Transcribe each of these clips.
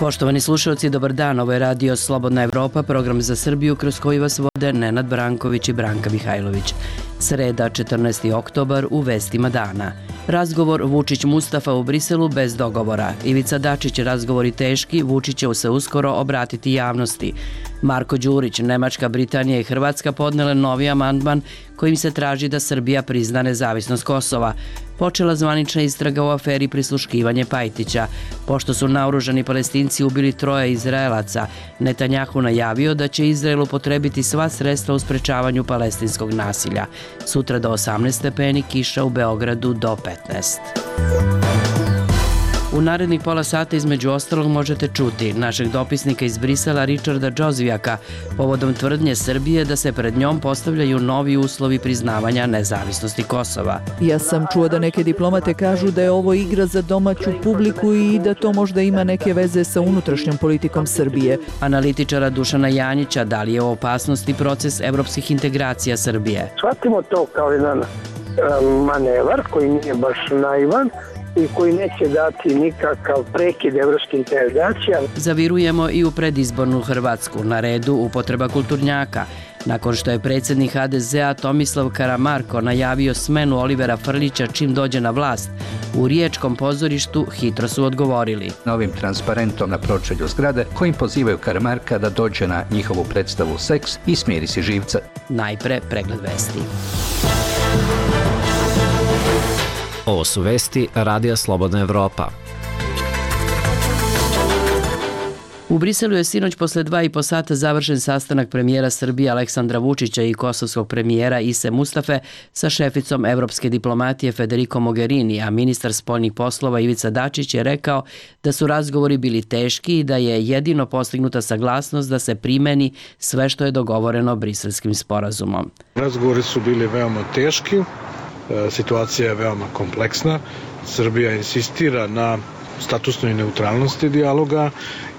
Poštovani slušalci, dobar dan. Ovo je radio Slobodna Evropa, program za Srbiju kroz koji vas vode Nenad Branković i Branka Mihajlović. Sreda, 14. oktobar, u vestima dana. Razgovor Vučić-Mustafa u Briselu bez dogovora. Ivica Dačić, razgovori teški, Vučić će se uskoro obratiti javnosti. Marko Đurić, Nemačka, Britanija i Hrvatska podnele novi amandman kojim se traži da Srbija prizna nezavisnost Kosova. Počela zvanična istraga u aferi prisluškivanje Pajtića. Pošto su naoružani Palestinci ubili 3 Izraelaca, Netanjahu najavio da će Izrael upotrebiti sva sredstva u sprečavanju palestinskog nasilja. Sutra do 18 stepeni, kiša u Beogradu do 15. U narednih pola sata između ostalog možete čuti našeg dopisnika iz Brisela Richarda Džozvijaka povodom tvrdnje Srbije da se pred njom postavljaju novi uslovi priznavanja nezavisnosti Kosova. Ja sam čuo da neke diplomate kažu da je ovo igra za domaću publiku i da to možda ima neke veze sa unutrašnjom politikom Srbije. Analitičara Dušana Janjića, da li je u opasnosti proces evropskih integracija Srbije? Shvatimo to kao jedan manevar koji nije baš naivan i koji neće dati nikakav prekid evropskih integracija. Zavirujemo i u predizbornu Hrvatsku. Na redu upotreba kulturnjaka. Nakon što je predsjednik HDZ-a Tomislav Karamarko najavio smenu Olivera Frljića čim dođe na vlast, u Riječkom pozorištu hitro su odgovorili. Novim transparentom na pročelju zgrade kojim pozivaju Karamarka da dođe na njihovu predstavu Seks i smiri si živca. Najpre pregled vesti. Ovo su vesti Radija Slobodna Evropa. U Briselu je sinoć posle 2,5 sata završen sastanak premijera Srbije Aleksandra Vučića i kosovskog premijera Ise Mustafe sa šeficom evropske diplomatije Federico Mogherini, a ministar spoljnih poslova Ivica Dačić je rekao da su razgovori bili teški i da je jedino postignuta saglasnost da se primeni sve što je dogovoreno Briselskim sporazumom. Razgovori su bili veoma teški. Situacija je veoma kompleksna. Srbija insistira na statusnoj neutralnosti dijaloga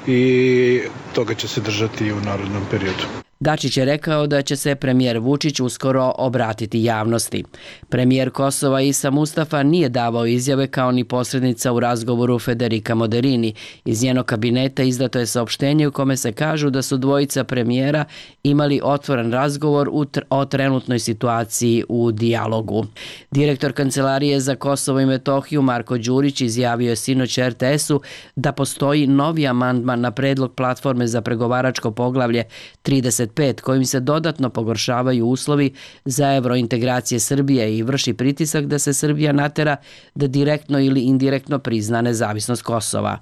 i toga će se držati i u narednom periodu. Dačić je rekao da će se premijer Vučić uskoro obratiti javnosti. Premijer Kosova Isa Mustafa nije davao izjave kao ni posrednica u razgovoru Federica Mogherini. Iz njenog kabineta izdato je saopštenje u kome se kažu da su dvojica premijera imali otvoren razgovor o trenutnoj situaciji u dijalogu. Direktor Kancelarije za Kosovo i Metohiju Marko Đurić izjavio je sinoć RTS-u da postoji novi amandman na predlog platforme za pregovaračko poglavlje 35 kojim se dodatno pogoršavaju uslovi za evrointegracije Srbije i vrši pritisak da se Srbija natera da direktno ili indirektno prizna nezavisnost Kosova.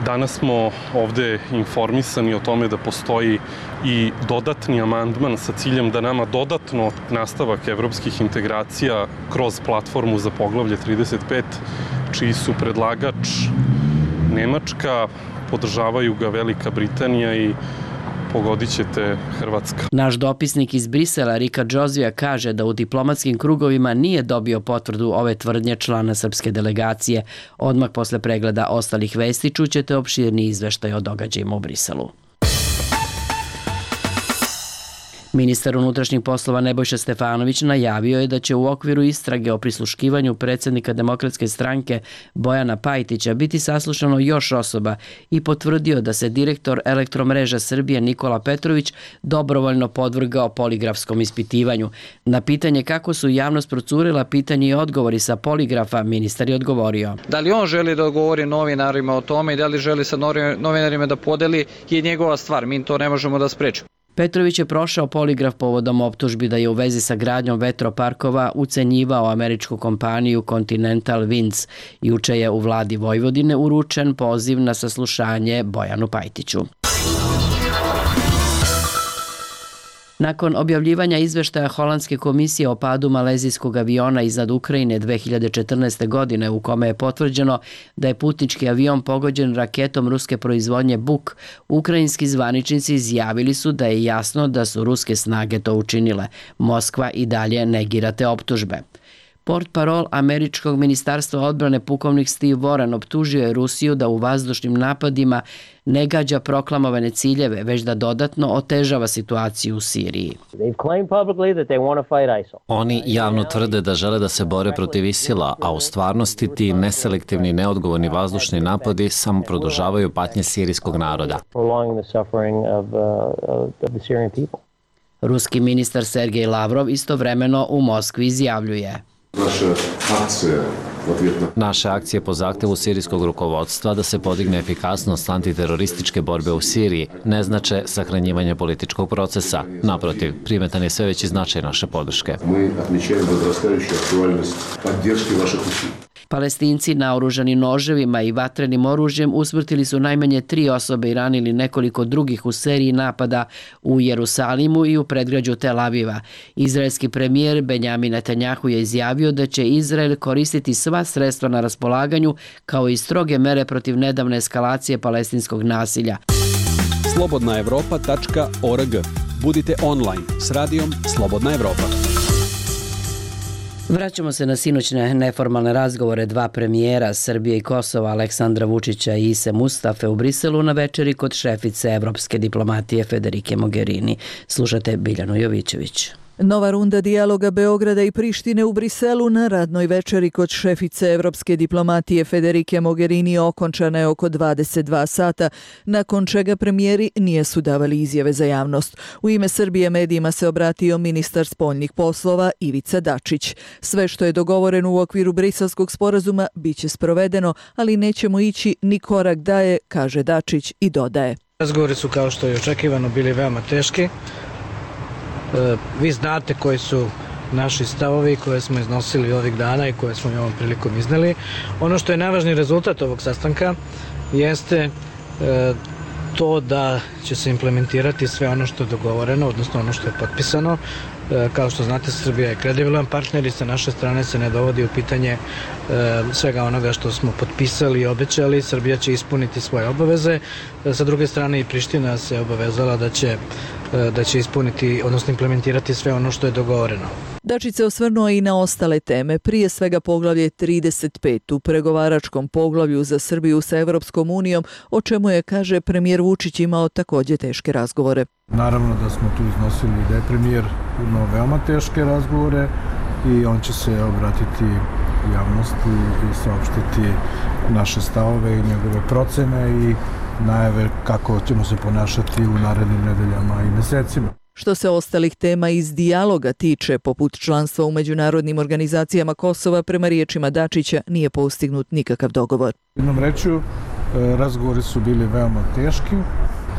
Danas smo ovde informisani o tome da postoji i dodatni amandman sa ciljem da nama dodatno nastavak evropskih integracija kroz platformu za poglavlje 35, čiji su predlagač Nemačka, podržavaju ga Velika Britanija i pogodit ćete Hrvatska. Naš dopisnik iz Brisela Rika Džozvija kaže da u diplomatskim krugovima nije dobio potvrdu ove tvrdnje člana srpske delegacije. Odmah posle pregleda ostalih vesti čućete opširni izveštaj o događajima u Briselu. Ministar unutrašnjih poslova Nebojša Stefanović najavio je da će u okviru istrage o prisluškivanju predsjednika Demokratske stranke Bojana Pajtića biti saslušano još osoba i potvrdio da se direktor Elektromreža Srbije Nikola Petrović dobrovoljno podvrgao poligrafskom ispitivanju. Na pitanje kako su javnost procurila pitanje i odgovori sa poligrafa, ministar je odgovorio. Da li on želi da odgovori novinarima o tome i da li želi sa novinarima da podeli je njegova stvar, mi to ne možemo da sprečimo. Petrović je prošao poligraf povodom optužbi da je u vezi sa gradnjom vetroparkova ucenjivao američku kompaniju Continental Winds. Juče je u vladi Vojvodine uručen poziv na saslušanje Bojanu Pajtiću. Nakon objavljivanja izveštaja Holandske komisije o padu malezijskog aviona iznad Ukrajine 2014. godine u kome je potvrđeno da je putnički avion pogođen raketom ruske proizvodnje Buk, ukrajinski zvaničnici izjavili su da je jasno da su ruske snage to učinile. Moskva i dalje negira te optužbe. Portparol američkog ministarstva odbrane pukovnik Steve Warren optužio je Rusiju da u vazdušnim napadima ne gađa proklamovane ciljeve, već da dodatno otežava situaciju u Siriji. Oni javno tvrde da žele da se bore protiv ISIL-a, a u stvarnosti ti neselektivni i neodgovorni vazdušni napadi samo produžavaju patnje sirijskog naroda. Ruski ministar Sergej Lavrov istovremeno u Moskvi izjavljuje: Naše akcije po zahtevu sirijskog rukovodstva da se podigne efikasnost antiterorističke borbe u Siriji ne znače sahranjivanje političkog procesa. Naprotiv, primetan je sve veći značaj naše podrške. Palestinci naoružani noževima i vatrenim oružjem usmrtili su najmanje 3 osobe i ranili nekoliko drugih u seriji napada u Jerusalimu i u predgrađu Tel Aviva. Izraelski premijer Benjamin Netanjahu je izjavio da će Izrael koristiti sva sredstva na raspolaganju kao i stroge mere protiv nedavne eskalacije palestinskog nasilja. slobodnaevropa.org. Budite online s radijom Slobodna Evropa. Vraćamo se na sinoćne neformalne razgovore dva premijera Srbije i Kosova, Aleksandra Vučića i Ise Mustafe u Briselu na večeri kod šefice evropske diplomatije Federike Mogherini. Slušate Biljanu Jovićević. Nova runda dijaloga Beograda i Prištine u Briselu na radnoj večeri kod šefice evropske diplomatije Federike Mogherini okončana je oko 22 sata, nakon čega premijeri nisu davali izjave za javnost. U ime Srbije medijima se obratio ministar spoljnih poslova Ivica Dačić. Sve što je dogovoreno u okviru Briselskog sporazuma biće sprovedeno, ali nećemo ići ni korak dalje, kaže Dačić i dodaje. Razgovori su, kao što je očekivano, bili veoma teški. Vi znate koji su naši stavovi koje smo iznosili ovih dana i koje smo i ovom prilikom izneli. Ono što je najvažniji rezultat ovog sastanka jeste to da će se implementirati sve ono što je dogovoreno, odnosno ono što je potpisano. Kao što znate, Srbija je kredibilan partner i sa naše strane se ne dovodi u pitanje svega onoga što smo potpisali i obećali. Srbija će ispuniti svoje obaveze. Sa druge strane i Priština se obavezala da će ispuniti, odnosno implementirati sve ono što je dogovoreno. Dačić se osvrnuo i na ostale teme, prije svega poglavlje 35 u pregovaračkom poglavlju za Srbiju sa Evropskom unijom, o čemu je, kaže, premijer Vučić imao također teške razgovore. Naravno da smo tu iznosili da je premijer imao veoma teške razgovore i on će se obratiti javnosti i saopštiti naše stavove i njegove procene i najave kako ćemo se ponašati u narednim nedeljama i mesecima. Što se ostalih tema iz dijaloga tiče, poput članstva u međunarodnim organizacijama Kosova, prema riječima Dačića nije postignut nikakav dogovor. Jednom rečju, razgovori su bili veoma teški.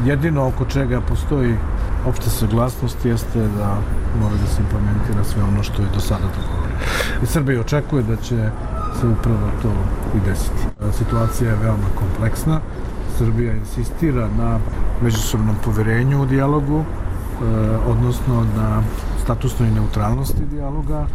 Jedino oko čega postoji opšta saglasnost jeste da mora da se implementira sve ono što je do sada dogovoreno. I Srbija očekuje da će se upravo to i desiti. Situacija je veoma kompleksna. Srbija insistira na međusobnom poverenju u dijalogu, odnosno na statusnoj neutralnosti dijaloga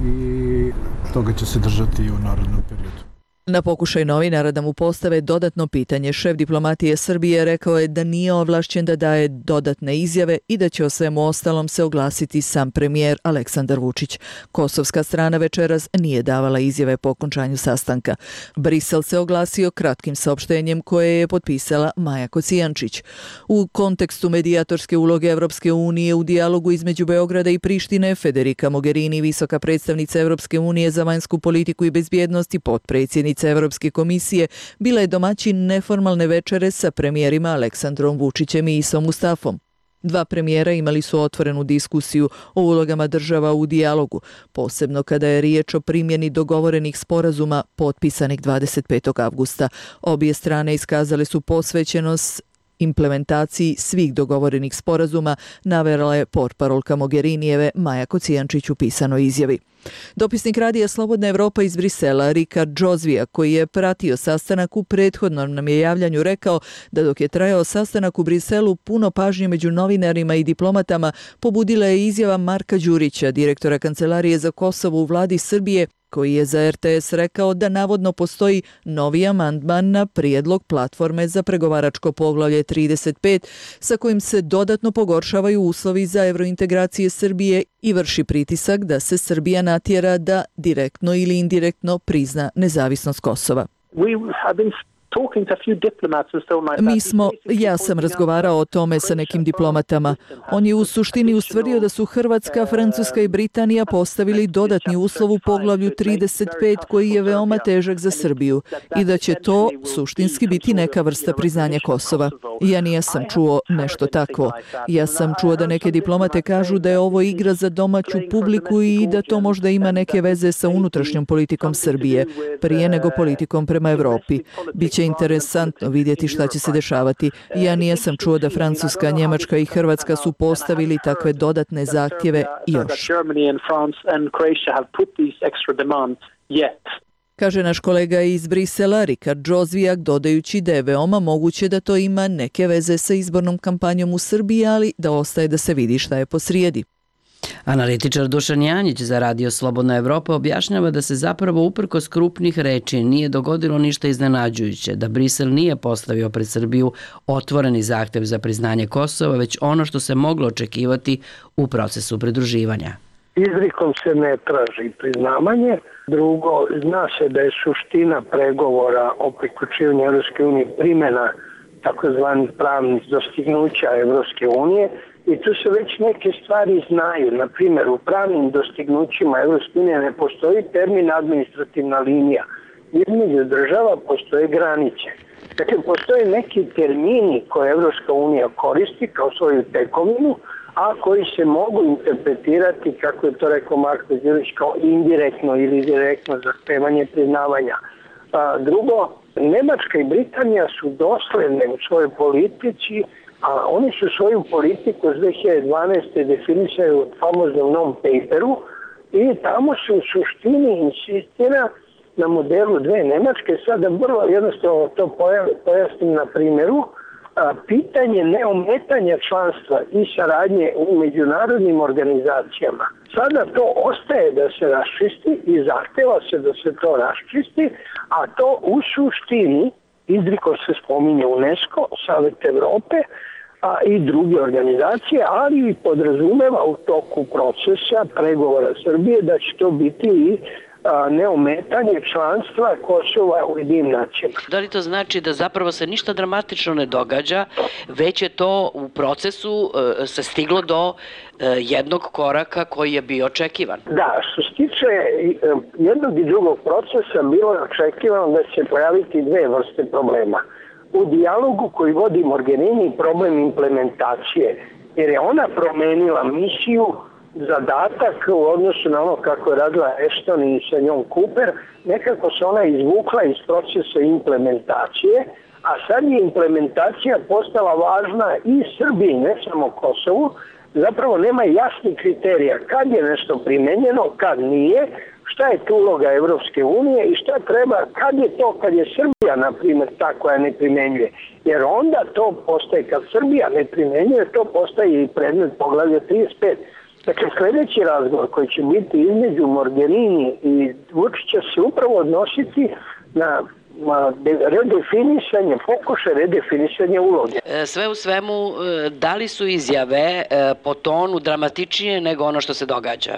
i toga će se držati i u narednom periodu. Na pokušaj novinara da mu postave dodatno pitanje, šef diplomatije Srbije rekao je da nije ovlašćen da daje dodatne izjave i da će o svemu ostalom se oglasiti sam premijer Aleksandar Vučić. Kosovska strana večeras nije davala izjave po okončanju sastanka. Brisel se oglasio kratkim saopštenjem koje je potpisala Maja Kocijančić. U kontekstu medijatorske uloge Evropske unije u dijalogu između Beograda i Prištine, Federika Mogherini, visoka predstavnica Evropske unije za vanjsku politiku i bezbjednost i potpredsjednica Evropske komisije, bila je domaćin neformalne večere sa premijerima Aleksandrom Vučićem i Isom Mustafom. Dva premijera imali su otvorenu diskusiju o ulogama država u dijalogu, posebno kada je riječ o primjeni dogovorenih sporazuma potpisanih 25. avgusta. Obje strane iskazale su posvećenost implementaciji svih dogovorenih sporazuma, navela je portparolka Mogherinijeve Maja Kocijančić u pisanoj izjavi. Dopisnik radija Slobodna Evropa iz Brisela, Rikard Džozvija, koji je pratio sastanak u prethodnom nam je javljanju, rekao da dok je trajao sastanak u Briselu, puno pažnje među novinarima i diplomatama pobudila je izjava Marka Đurića, direktora Kancelarije za Kosovo u vladi Srbije, koji je za RTS rekao da navodno postoji novi amandman na prijedlog platforme za pregovaračko poglavlje 35 sa kojim se dodatno pogoršavaju uslovi za evrointegracije Srbije i vrši pritisak da se Srbija natjera da direktno ili indirektno prizna nezavisnost Kosova. Ja sam razgovarao o tome sa nekim diplomatama. On je u suštini ustvrdio da su Hrvatska, Francuska i Britanija postavili dodatni uslov u poglavlju 35 koji je veoma težak za Srbiju i da će to suštinski biti neka vrsta priznanja Kosova. Ja nisam čuo nešto takvo. Ja sam čuo da neke diplomate kažu da je ovo igra za domaću publiku i da to možda ima neke veze sa unutrašnjom politikom Srbije, prije nego politikom prema Evropi. Biće interesantno vidjeti šta će se dešavati. Ja nisam čuo da Francuska, Njemačka i Hrvatska su postavili takve dodatne zahtjeve još. Kaže naš kolega iz Brisela, Rikard Džozvijak, dodajući da je veoma moguće da to ima neke veze sa izbornom kampanjom u Srbiji, ali da ostaje da se vidi šta je posrijedi. Analitičar Dušan Janjić za Radio Slobodna Evropa objašnjava da se zapravo uprkos krupnih reči nije dogodilo ništa iznenađujuće, da Brisel nije postavio pred Srbiju otvoreni zahtev za priznanje Kosova, već ono što se moglo očekivati u procesu pridruživanja. Izrikom se ne traži priznavanje. Drugo, zna se da je suština pregovora o priključivanju Evropske unije primjena takozvanih pravnih dostignuća Evropske unije i tu se već neke stvari znaju. Na primjer, u pravnim dostignućima Evropske unije ne postoji termin administrativna linija. Između država postoje granice. Dakle, postoje neki termini koje Evropska unija koristi kao svoju tekovinu, a koji se mogu interpretirati, kako je to rekao Marko Đurić, kao indirektno ili direktno zahtevanje priznavanja. Drugo, Nemačka i Britanija su dosledne u svojoj politici, a oni su svoju politiku s 2012. definisaju u famoznom non-paperu i tamo se u suštini insistira na modelu dve Nemačke. Sada vrlo jednostavno to pojasnim na primjeru. Pitanje neometanja članstva i saradnje u međunarodnim organizacijama. Sada to ostaje da se raščisti i zahteva se da se to raščisti, a to u suštini izrikom se spominje UNESCO, Savet Evrope, a i druge organizacije, ali i podrazumeva u toku procesa pregovora Srbije da će to biti i neometanje članstva Kosova u Ujedinjenim nacijama. Da li to znači da zapravo se ništa dramatično ne događa, već je to u procesu se stiglo do jednog koraka koji je bio očekivan? Da, što se tiče jednog i drugog procesa bilo je očekivano da će pojaviti dve vrste problema. U dijalogu koji vodi Mogherini problem implementacije, jer je ona promenila misiju, zadatak u odnosu na ono kako je radila Ashton i sa njom Cooper, nekako se ona izvukla iz procesa implementacije, a sad je implementacija postala važna i Srbiji, ne samo Kosovu. Zapravo nema jasnih kriterija kad je nešto primenjeno, kad nije, šta je tu uloga Evropske unije i šta treba, kad je Srbija, na primjer, ta koja ne primenjuje. Jer onda to postaje, kad Srbija ne primenjuje, to postaje i predmet poglavlja 35. Dakle, sljedeći razgovor koji će biti između Mogherini i Vučića se upravo odnositi na redefinisanje, pokušaj redefinisanja uloge. Sve u svemu, da li su izjave po tonu dramatičnije nego ono što se događa?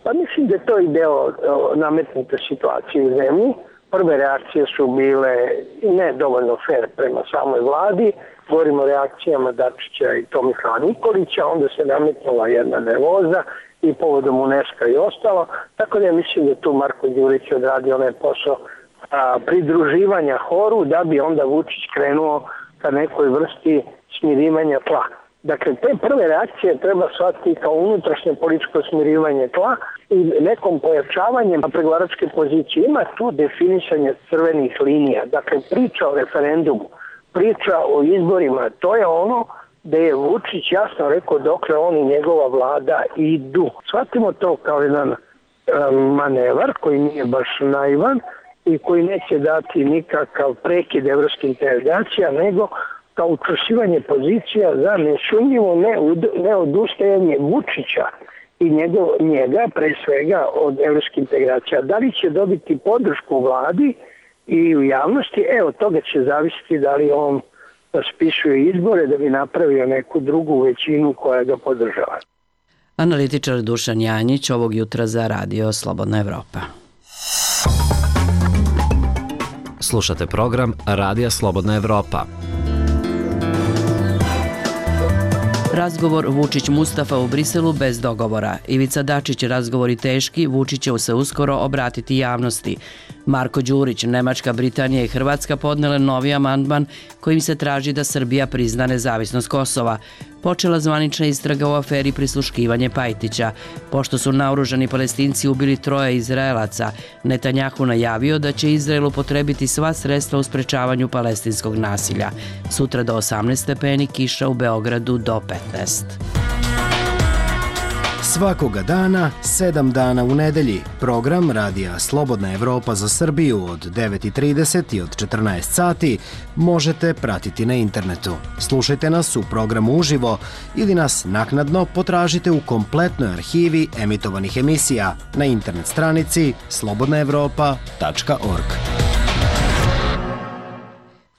Pa mislim da je to i deo nametnute situacije u zemlji. Prve reakcije su bile ne dovoljno fair prema samoj vladi. Govorimo o reakcijama Dačića i Tomislava Nikolića, onda se nametnula jedna nervoza i povodom UNESCO i ostalo. Tako da ja mislim da tu Marko Đurić odradio onaj posao pridruživanja horu da bi onda Vučić krenuo ka nekoj vrsti smirivanja tla. Dakle, te prve reakcije treba shvatiti kao unutrašnje političko smirivanje tla i nekom pojačavanjem pregovaračke pozicije. Ima tu definisanje crvenih linija. Dakle, priča o referendumu, priča o izborima, to je ono da je Vučić jasno rekao dokle on i njegova vlada idu. Shvatimo to kao jedan manevar koji nije baš naivan i koji neće dati nikakav prekid evropskih integracija, nego kao učvršćivanje pozicija za nesumnjivo neodustajanje Vučića i njega pre svega od evropskih integracija. Da li će dobiti podršku u vladi i u javnosti, od toga će zavisiti da li on raspisuje izbore da bi napravio neku drugu većinu koja ga podržava. Analitičar Dušan Janjić ovog jutra za Radio Slobodna Evropa. Slušate program Radija Slobodna Evropa. Razgovor Vučić-Mustafa u Briselu bez dogovora. Ivica Dačić, razgovori teški, Vučić će se uskoro obratiti javnosti. Marko Đurić, Nemačka, Britanija i Hrvatska podnele novi amandman kojim se traži da Srbija prizna nezavisnost Kosova. Počela zvanična istraga u aferi prisluškivanje Pajtića. Pošto su naoružani Palestinci ubili 3 Izraelaca, Netanjahu najavio da će Izrael upotrebiti sva sredstva u sprečavanju palestinskog nasilja. Sutra do 18 stepeni, kiša u Beogradu do 15. Svakoga dana, 7 dana u nedelji, program Radija Slobodna Evropa za Srbiju od 9:30 i od 14 sati možete pratiti na internetu. Slušajte nas u programu uživo ili nas naknadno potražite u kompletnoj arhivi emitovanih emisija na internet stranici slobodnaevropa.org.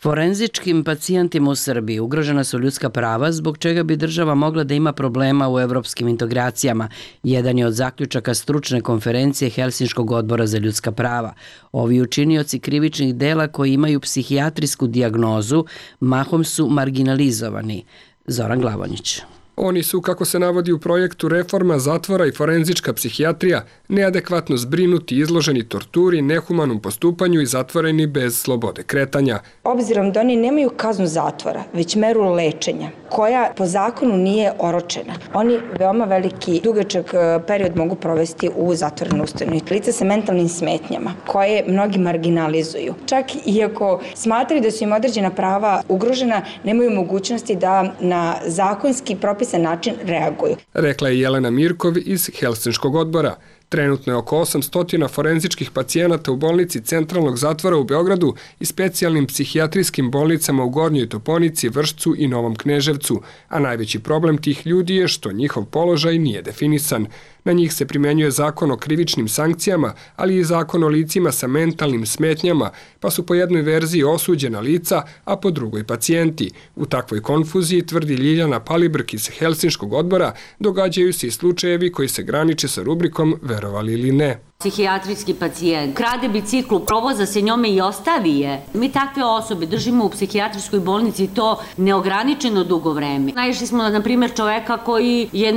Forenzičkim pacijentima u Srbiji ugrožena su ljudska prava, zbog čega bi država mogla da ima problema u evropskim integracijama. Jedan je od zaključaka stručne konferencije Helsinškog odbora za ljudska prava. Ovi učinioci krivičnih dela koji imaju psihijatrijsku dijagnozu mahom su marginalizovani. Zoran Glavonjić. Oni su, kako se navodi u projektu Reforma zatvora i forenzička psihijatrija, neadekvatno zbrinuti, izloženi torturi, nehumanom postupanju i zatvoreni bez slobode kretanja. Obzirom da oni nemaju kaznu zatvora, već meru lečenja, koja po zakonu nije oročena, oni veoma veliki, dugačak period mogu provesti u zatvorenoj ustanovi. Lica sa mentalnim smetnjama, koje mnogi marginalizuju. Čak i ako smatraju da su im određena prava ugrožena, nemaju mogućnosti da na zakonski propisan način reaguju. Rekla je Jelena Mirkov iz Helsinškog odbora. Trenutno je oko 800 forenzičkih pacijenata u bolnici Centralnog zatvora u Beogradu i specijalnim psihijatrijskim bolnicama u Gornjoj Toponici, Vršcu i Novom Kneževcu, a najveći problem tih ljudi je što njihov položaj nije definisan. Na njih se primenjuje zakon o krivičnim sankcijama, ali i zakon o licima sa mentalnim smetnjama, pa su po jednoj verziji osuđena lica, a po drugoj pacijenti. U takvoj konfuziji, tvrdi Ljiljana Palibrk iz Helsinškog odbora, događaju se i slučajevi koji se graniče sa rubrikom verovali ili ne. Psihijatrijski pacijent krade biciklu, provoza se njome i ostavi je. Mi takve osobe držimo u psihijatrijskoj bolnici to neograničeno dugo vreme. Naišli smo na primjer čoveka koji je,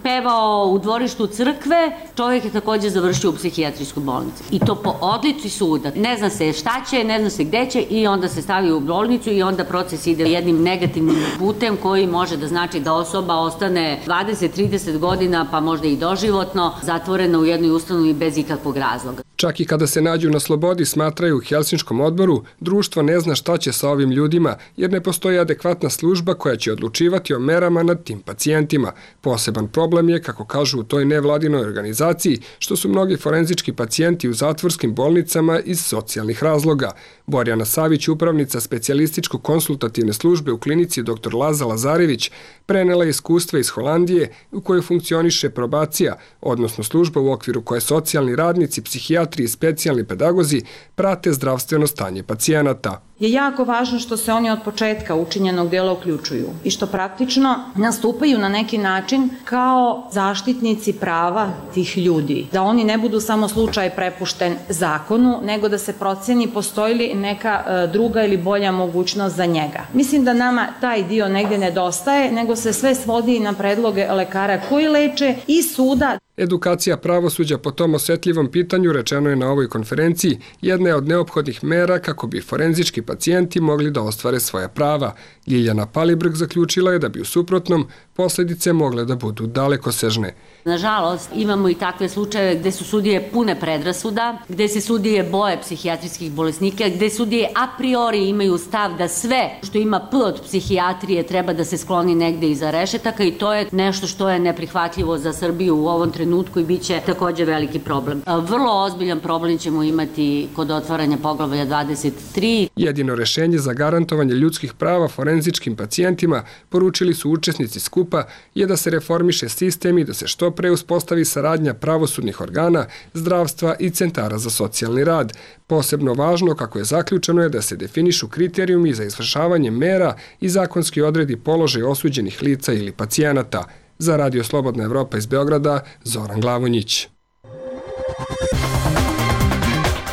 pevao u dvorištu crkve, čovjek je također završio u psihijatrijskoj bolnici. I to po odluci suda. Ne zna se šta će, ne zna se gde će i onda se stavi u bolnicu i onda proces ide jednim negativnim putem koji može da znači da osoba ostane 20-30 godina pa možda i doživotno zatvorena u jednoj ustanovi bez ikakvog razloga. Čak i kada se nađu na slobodi, smatraju u Helsinškom odboru, društvo ne zna šta će sa ovim ljudima, jer ne postoji adekvatna služba koja će odlučivati o merama nad tim pacijentima. Poseban problem je, kako kažu u toj nevladinoj organizaciji, što su mnogi forenzički pacijenti u zatvorskim bolnicama iz socijalnih razloga. Borjana Savić, upravnica specijalističko-konsultativne službe u klinici dr. Laza Lazarević, prenela iskustva iz Holandije u kojoj funkcioniše probacija, odnosno služba u okviru koje socijalni radnici, psihijatri i specijalni pedagozi prate zdravstveno stanje pacijenata. Je jako važno što se oni od početka učinjenog dela uključuju i što praktično nastupaju na neki način kao zaštitnici prava tih ljudi. Da oni ne budu samo slučaj prepušten zakonu, nego da se proceni postoji li neka druga ili bolja mogućnost za njega. Mislim da nama taj dio negde nedostaje, nego se sve svodi na predloge lekara koji leče i suda. Edukacija pravosuđa po tom osetljivom pitanju, rečeno je na ovoj konferenciji, jedna je od neophodnih mera kako bi forenzički pacijenti mogli da ostvare svoja prava. Ljiljana Palibrk zaključila je da bi u suprotnom posledice mogle da budu dalekosežne. Nažalost, imamo i takve slučajeve gde su sudije pune predrasuda, gde se sudije boje psihijatrijskih bolesnika, gde sudije a priori imaju stav da sve što ima P od psihijatrije treba da se skloni negde iza rešetaka i to je nešto što je neprihvatljivo za Srbiju u ovom trenutku i bit će također veliki problem. Vrlo ozbiljan problem ćemo imati kod otvaranja poglavlja 23. Jedino rešenje za garantovanje ljudskih prava forenzičkim pacijentima poručili su učesnici skupa pristupa je da se reformiše sistem i da se što pre uspostavi saradnja pravosudnih organa, zdravstva i centara za socijalni rad. Posebno važno, kako je zaključeno, je da se definišu kriterijumi za izvršavanje mera i zakonski odredi položaj osuđenih lica ili pacijenata. Za Radio Slobodna Evropa iz Beograda, Zoran Glavonjić.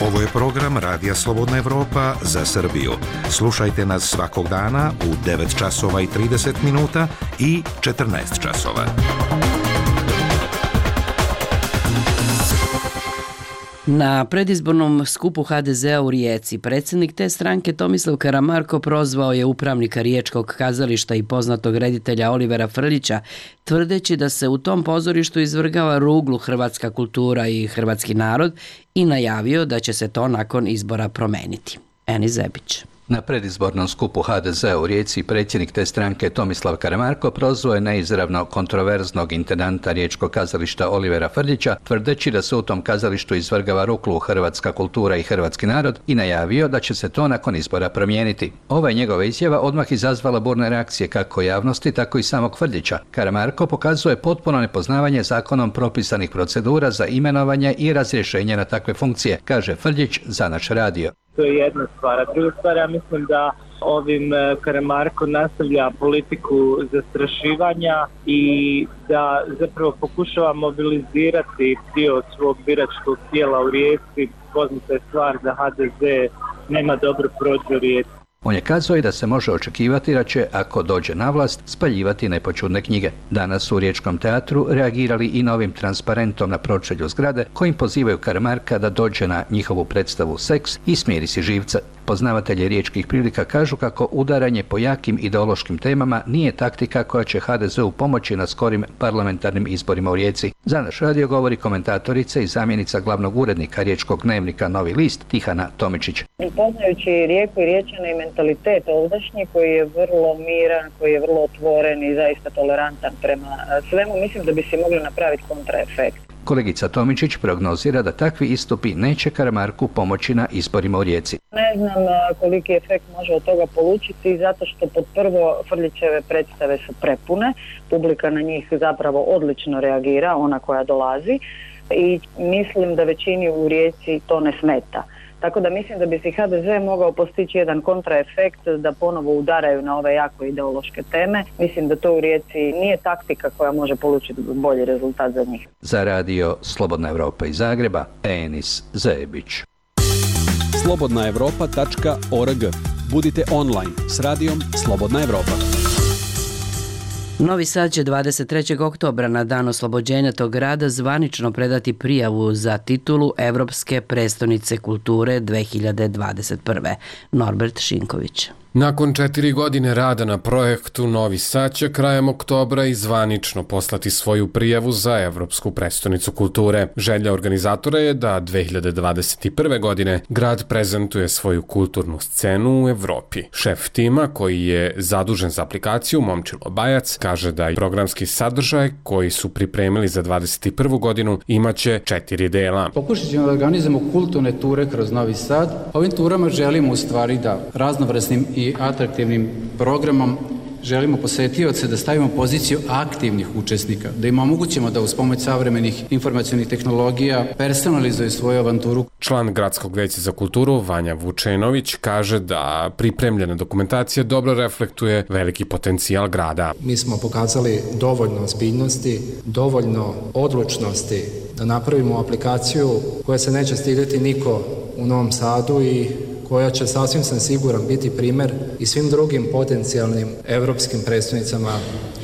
Ovo je program Radija Slobodna Evropa za Srbiju. Slušajte nas svakog dana u 9 časova i 30 minuta i 14 časova. Na predizbornom skupu HDZ-a u Rijeci predsjednik te stranke Tomislav Karamarko prozvao je upravnika Riječkog kazališta i poznatog reditelja Olivera Frljića, tvrdeći da se u tom pozorištu izvrgava ruglu hrvatska kultura i hrvatski narod i najavio da će se to nakon izbora promeniti. Eni Zebić. Na predizbornom skupu HDZ-a u Rijeci predsjednik te stranke Tomislav Karamarko prozvao je neizravno kontroverznog intendanta Riječkog kazališta Olivera Frljića, tvrdeći da se u tom kazalištu izvrgava ruglu hrvatska kultura i hrvatski narod i najavio da će se to nakon izbora promijeniti. Ova je njegova izjava odmah izazvala burne reakcije kako javnosti, tako i samog Frljića. Karamarko pokazuje potpuno nepoznavanje zakonom propisanih procedura za imenovanje i razrješenje na takve funkcije, kaže Frljić za naš radio. To je jedna stvar. A druga stvar, ja mislim da ovim Karamarko nastavlja politiku zastrašivanja i da zapravo pokušava mobilizirati dio svog biračkog tijela u Rijeci. Poznata je stvar da HDZ nema dobro prođu u Rijeci. On je kazao i da se može očekivati da će, ako dođe na vlast, spaljivati nepoćudne knjige. Danas su u Riječkom teatru reagirali i novim transparentom na pročelju zgrade kojim pozivaju Karamarka da dođe na njihovu predstavu Seks i smiri si živca. Poznavatelji riječkih prilika kažu kako udaranje po jakim ideološkim temama nije taktika koja će HDZ-u pomoći na skorim parlamentarnim izborima u Rijeci. Za naš radio govori komentatorica i zamjenica glavnog urednika riječkog dnevnika Novi list Tihana Tomičić. Poznajući Rijeku i Riječane i mentalitet ovdašnji koji je vrlo miran, koji je vrlo otvoren i zaista tolerantan prema svemu, mislim da bi se mogli napraviti kontraefekt. Kolegica Tomičić prognozira da takvi istupi neće Karamarku pomoći na izborima u Rijeci. Ne znam koliki efekt može od toga polučiti, zato što pod prvo Frljićeve predstave su prepune, publika na njih zapravo odlično reagira, ona koja dolazi, i mislim da većini u Rijeci to ne smeta. Tako da mislim da bi si HDZ mogao postići jedan kontraefekt da ponovo udaraju na ove jako ideološke teme. Mislim da to u Rijeci nije taktika koja može polučiti bolji rezultat za njih. Za radio Slobodna Evropa iz Zagreba, Enis Zebić. slobodnaevropa.org. Budite online s radijom Slobodna Evropa. Novi Sad će 23. oktobra na dan oslobođenja tog grada zvanično predati prijavu za titulu Evropske prestonice kulture 2021. Norbert Šinković. Nakon 4 godine rada na projektu, Novi Sad će krajem oktobra i zvanično poslati svoju prijavu za Evropsku prestonicu kulture. Želja organizatora je da 2021. godine grad prezentuje svoju kulturnu scenu u Evropi. Šef tima, koji je zadužen za aplikaciju, Momčilo Bajac, kaže da programski sadržaj koji su pripremili za 2021. godinu imaće 4 dela. Pokušat ćemo da organizujemo kulturne ture kroz Novi Sad. Ovim turama želimo u stvari da raznovrsnim i atraktivnim programom želimo posetioce da stavimo poziciju aktivnih učesnika, da im omogućimo da uz pomoć savremenih informacionih tehnologija personalizuju svoju avanturu. Član Gradskog veća za kulturu Vanja Vučenović kaže da pripremljena dokumentacija dobro reflektuje veliki potencijal grada. Mi smo pokazali dovoljno ozbiljnosti, dovoljno odlučnosti da napravimo aplikaciju koja se neće stidjeti niko u Novom Sadu i koja će, sasvim sam siguran, biti primjer i svim drugim potencijalnim evropskim prestonicama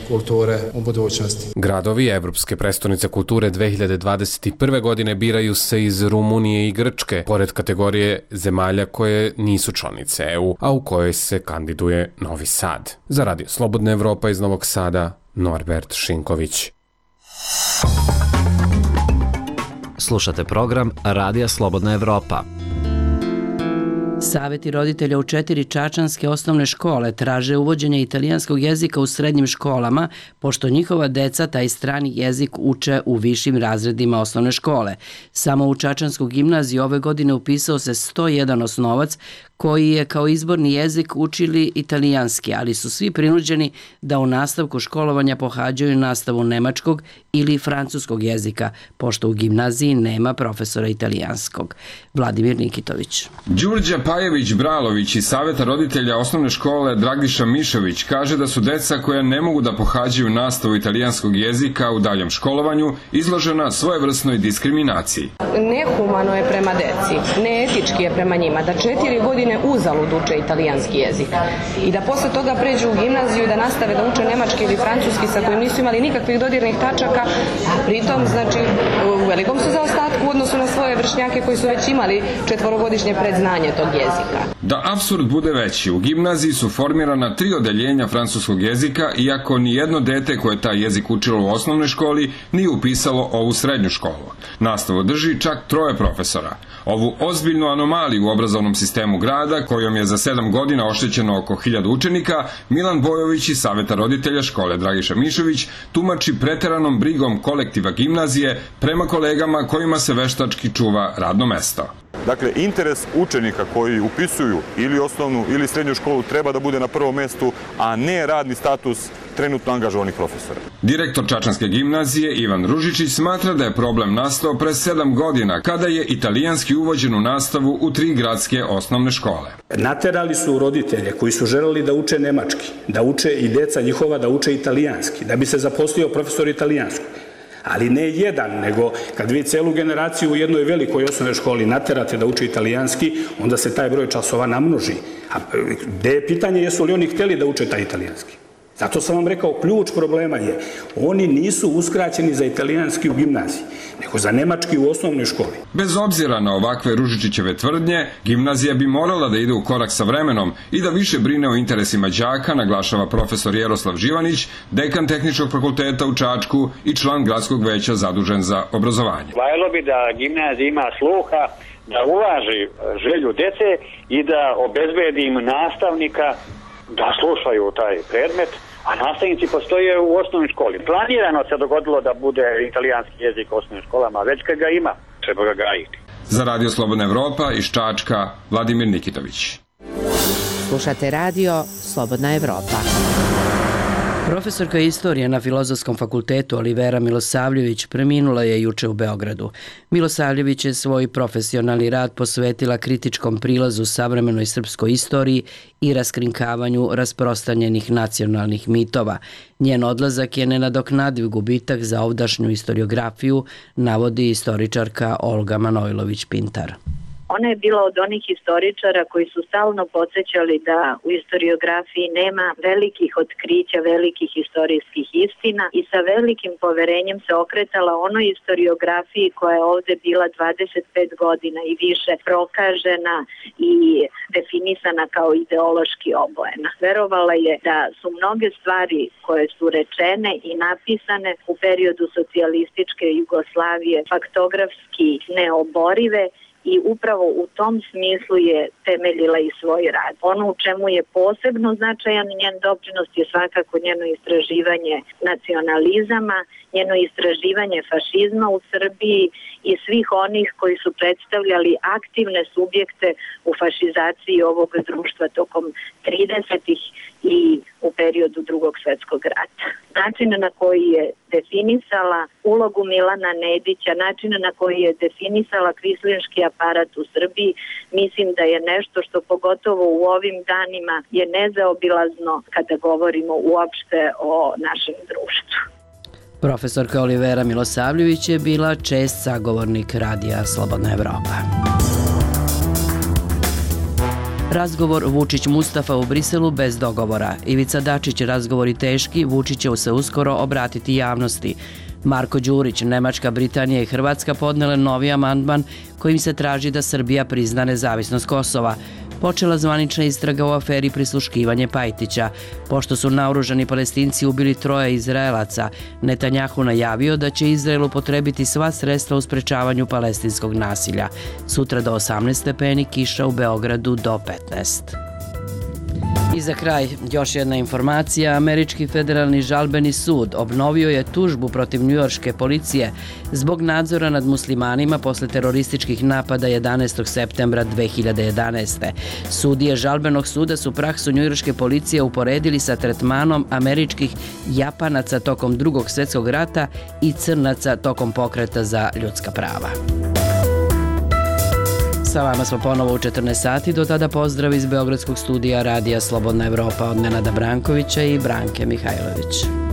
kulture u budućnosti. Gradovi Evropske prestonice kulture 2021. godine biraju se iz Rumunije i Grčke, pored kategorije zemalja koje nisu članice EU, a u kojoj se kandiduje Novi Sad. Za radio Slobodna Evropa iz Novog Sada, Norbert Šinković. Slušate program Radija Slobodna Evropa. Saveti roditelja u 4 čačanske osnovne škole traže uvođenje italijanskog jezika u srednjim školama, pošto njihova deca taj strani jezik uče u višim razredima osnovne škole. Samo u Čačansku gimnaziju ove godine upisao se 101 osnovac koji je kao izborni jezik učili italijanski, ali su svi prinuđeni da u nastavku školovanja pohađaju nastavu nemačkog ili francuskog jezika, pošto u gimnaziji nema profesora italijanskog. Vladimir Nikitović. Đurđa Pajević-Bralović iz Saveta roditelja osnovne škole Dragiša Mišović kaže da su deca koja ne mogu da pohađaju nastavu italijanskog jezika u daljem školovanju izložena svojevrsnoj diskriminaciji. Nehumano je prema deci, neetički je prema njima, da 4 godine uzalud uče italijanski jezik i da posle toga pređu u gimnaziju da nastave da uče nemački ili francuski sa kojim nisu imali nikakvih dodirnih tačaka, a pritom znači u velikom su zaostatku u odnosu na svoje vršnjake koji su već imali 4-godišnje predznanje tog jezika. Da apsurd bude veći, u gimnaziji su formirana 3 odeljenja francuskog jezika, iako ni jedno dete koje taj jezik učilo u osnovnoj školi nije upisalo ovu srednju školu. Nastavu drži čak 3 profesora. Ovu ozbiljnu anomaliju u obrazovnom sistemu grada, kojom je za 7 godina oštećeno oko 1000 učenika, Milan Bojović iz Saveta roditelja škole Dragiša Mišović tumači preteranom brigom kolektiva gimnazije prema kolegama kojima se veštački čuva radno mesto. Dakle, interes učenika koji upisuju ili osnovnu ili srednju školu treba da bude na prvom mestu, a ne radni status trenutno angažovanih profesora. Direktor Čačanske gimnazije Ivan Ružičić smatra da je problem nastao pre 7 godina, kada je italijanski uvođen u nastavu u 3 gradske osnovne škole. Naterali su roditelje koji su želeli da uče nemački, da uče i deca njihova da uče italijanski, da bi se zaposlio profesor italijanskog. Ali ne jedan, nego kad vi celu generaciju u jednoj velikoj osnovnoj školi naterate da uče italijanski, onda se taj broj časova namnoži. A gde je pitanje jesu li oni hteli da uče taj italijanski? Zato sam vam rekao, ključ problema je, oni nisu uskraćeni za italijanski u gimnaziji, nego za nemački u osnovnoj školi. Bez obzira na ovakve Ružičićeve tvrdnje, gimnazija bi morala da ide u korak sa vremenom i da više brine o interesima đaka, naglašava profesor Jeroslav Živanić, dekan Tehničkog fakulteta u Čačku i član gradskog veća zadužen za obrazovanje. Valjalo bi da gimnazija ima sluha, da uvaži želju dece i da obezbedi im nastavnika da slušaju taj predmet, a nastavnici postoje u osnovnoj školi. Planirano se dogodilo da bude italijanski jezik u osnovnim školama, već kad ga ima, treba ga gajiti. Za Radio Slobodna Evropa iz Čačka, Vladimir Nikitović. Slušate Radio Slobodna Evropa. Profesorka istorije na Filozofskom fakultetu Olivera Milosavljević preminula je juče u Beogradu. Milosavljević je svoj profesionalni rad posvetila kritičkom prilazu savremenoj srpskoj istoriji i raskrinkavanju rasprostranjenih nacionalnih mitova. Njen odlazak je nenadoknadiv gubitak za ovdašnju istoriografiju, navodi istoričarka Olga Manojlović-Pintar. Ona je bila od onih historičara koji su stalno podsjećali da u istoriografiji nema velikih otkrića, velikih historijskih istina i sa velikim poverenjem se okretala onoj istoriografiji koja je ovde bila 25 godina i više prokažena i definisana kao ideološki obojena. Verovala je da su mnoge stvari koje su rečene i napisane u periodu socijalističke Jugoslavije faktografski neoborive i upravo u tom smislu je temeljila i svoj rad. Ono u čemu je posebno značajan njen doprinos je svakako njeno istraživanje nacionalizama, njeno istraživanje fašizma u Srbiji i svih onih koji su predstavljali aktivne subjekte u fašizaciji ovog društva tokom 30-ih i u periodu Drugog svjetskog rata. Način na koji je definisala ulogu Milana Nedića, način na koji je definisala kvislinški aparat u Srbiji, mislim da je nešto što pogotovo u ovim danima je nezaobilazno kada govorimo uopšte o našem društvu. Profesorka Olivera Milosavljević je bila čest sagovornik Radija Slobodna Evropa. Razgovor Vučić-Mustafa u Briselu bez dogovora. Ivica Dačić, razgovori teški, Vučić će se uskoro obratiti javnosti. Marko Đurić, Nemačka, Britanija i Hrvatska podnele novi amandman kojim se traži da Srbija prizna nezavisnost Kosova. počela zvanična istraga u aferi prisluškivanje Pajtića. Pošto su naoružani Palestinci ubili 3 Izraelaca, Netanjahu najavio da će Izrael upotrebiti sva sredstva u sprečavanju palestinskog nasilja. Sutra do 18 stepeni, kiša u Beogradu do 15. I za kraj, još jedna informacija. Američki federalni žalbeni sud obnovio je tužbu protiv njujorške policije zbog nadzora nad muslimanima posle terorističkih napada 11. septembra 2011. Sudije žalbenog suda su praksu njujorške policije uporedili sa tretmanom američkih Japanaca tokom Drugog svjetskog rata i Crnaca tokom pokreta za ljudska prava. Sa vama smo ponovo u 14 sati, do tada pozdrav iz Beogradskog studija Radija Slobodna Evropa od Nenada Brankovića i Branke Mihajlović.